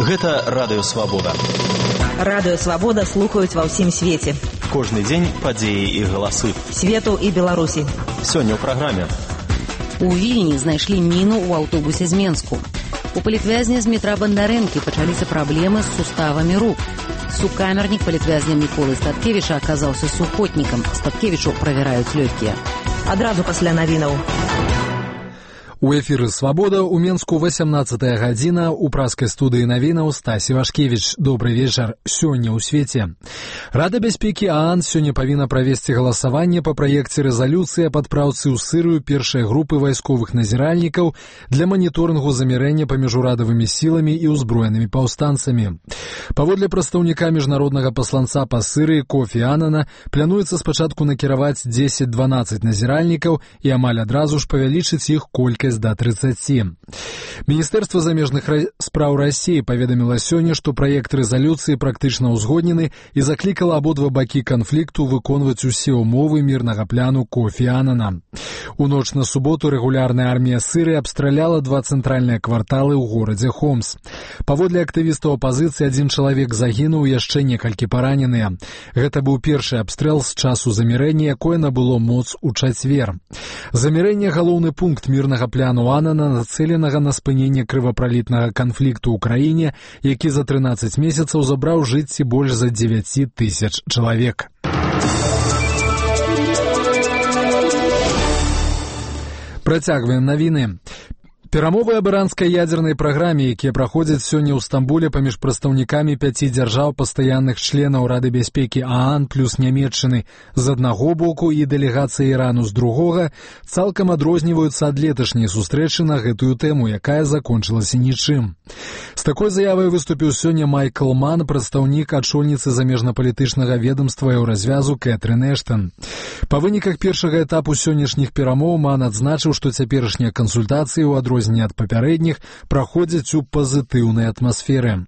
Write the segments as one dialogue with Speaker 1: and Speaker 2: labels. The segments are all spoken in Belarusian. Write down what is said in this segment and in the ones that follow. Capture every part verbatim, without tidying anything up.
Speaker 1: Гэта Радыё Свабода.
Speaker 2: Радыё Свабода слухаюць ва ўсім свеце.
Speaker 1: Кожны дзень падзеі і галасы.
Speaker 2: Свету і Беларусі.
Speaker 1: Сёння ў праграме.
Speaker 3: У Вільні знайшлі міну ў аўтобусе з Менску. У палітвязня з метра Бандарэнкі пачаліся праблемы з суставамі рук. Сукамернік палітвязня Міколы Статкевіча аказаўся сухотнікам. Статкевічу правяраюць лёгкія.
Speaker 2: Адразу пасля навінаў.
Speaker 4: У эфіры «Свабода» у Менску васямнаццатая гадзіна, у праскай студыі навінаў Стасі Вашкевіч. Добры вечар. Сёння ў свеце. Рада бяспекі ААН сёння павінна правесці галасаванне па праекце рэзалюцыі аб адпраўцы ў Сырыю першай групы вайсковых назіральнікаў для маніторынгу замірэння паміж урадавымі сіламі і ўзброенымі паўстанцамі. Паводле прадстаўніка міжнароднага пасланца па Сырыі Кофі Анана, плануецца спачатку накіраваць дзесяць-дванаццаць назіральнікаў і амаль адразу ж павялічыць іх колькасць да трыццаці. Міністэрства замежных спраў Расіі паведаміла сёння, што праект рэзалюцыі практычна ўзгоднены і заклікала абодва бакі канфлікту выконваць усе ўмовы мірнага пляну Кофі Анана. У ноч на суботу рэгулярная армія Сырыі абстраляла два цэнтральныя кварталы ў горадзе Хомс. Паводле актывістаў апазіцыі адзін чалавек загінуў, яшчэ некалькі параненыя. Гэта быў першы абстрэл з часу замірэння, якое набыло моц у чацвер. Замірэнне — галоўны пункт мірнага пляну Анана, нацэленага на спыненне крывапралітнага канфлікту ў краіне, які за трынаццаць месяцаў забраў жыцці больш за дзевяць тысяч чалавек. Працягваем навіны. Перамовы аб іранскай ядзернай праграме, якія праходзяць сёння ў Стамбуле паміж прадстаўнікамі пяці дзяржаў пастаянных членаў Рады бяспекі ААН плюс Нямецчыны з аднаго боку і дэлегацыі Ірану з другога, цалкам адрозніваюцца ад леташняй сустрэчы на гэтую тэму, якая закончылася нічым. З такой заявай выступіў сёння Майкл Ман, прадстаўнік ачольніцы замежнапалітычнага ведамства еўразвязу Кэтрын Эштан. Па выніках першага этапу сённяшніх перамоў Ман адзначыў, што цяперашнія кансультацыі ў адрозненні ад папярэдніх праходзяць у пазітыўнай атмасферы.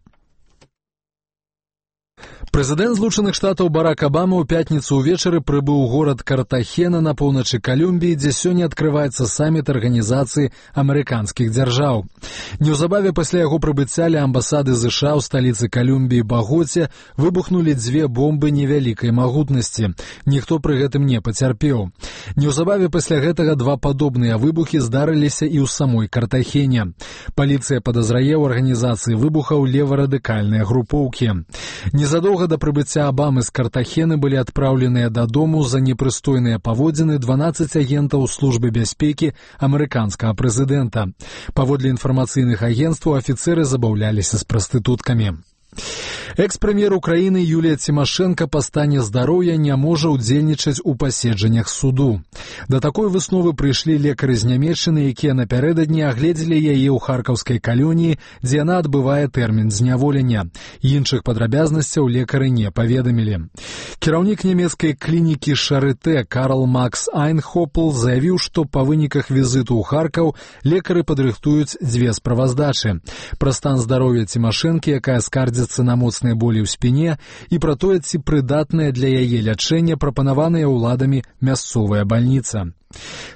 Speaker 4: Прэзідэнт Злучаных Штатаў Барак Абама ў пятніцу ўвечары прыбыў у горад Картахена на поўначы Калумбіі, дзе сёння адкрываецца саміт арганізацыі амерыканскіх дзяржаў. Неўзабаве пасля яго прыбыцця ля амбасады ЗША ў сталіцы Калумбіі Багоце выбухнулі дзве бомбы невялікай магутнасці. Ніхто пры гэтым не пацярпеў. Неўзабаве пасля гэтага два падобныя выбухі здарыліся і ў самой Картахене. Паліцыя падазрае ў арганізацыі выбухаў леварадыкальныя групоўкі. Незадоўга да прыбыцця Абамы з Картахены былі адпраўленыя дадому за непрыстойныя паводзіны дванаццаць агентаў службы бяспекі амерыканскага прэзідэнта. Паводле інфармацыйных агенцтваў афіцэры забаўляліся з прастытуткамі. Экс-прэм'ер Украіны Юлія Цімашэнка па стане здароўя не можа ўдзельнічаць у паседжаннях суду. Да такой высновы прыйшлі лекары з Нямецчыны, якія напярэдадні агледзелі яе ў харкаўскай калоніі, дзе яна адбывае тэрмін зняволення. Іншых падрабязнасцяў лекары не паведамілі. Кіраўнік нямецкай клінікі Шарытэ Карл Макс Айнхопл заявіў, што па выніках візіту ў Харкаў лекары падрыхтуюць дзве справаздачы. Пра стан здароўя Цімашэнкі, якая скардзіцца на моцныя болі ў спіне, і пра тое, ці прыдатная для яе лячэння прапанаваная ўладамі мясцовая бальніца.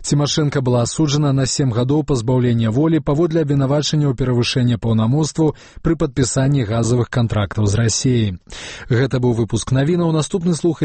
Speaker 4: Цімашэнка была асуджана на сем гадоў пазбаўлення волі паводле абвінавачання ў перавышэнні паўнамоцтваў пры падпісанні газавых кантрактаў з Расіяй. Гэта быў выпуск навінаў. Наступны слухай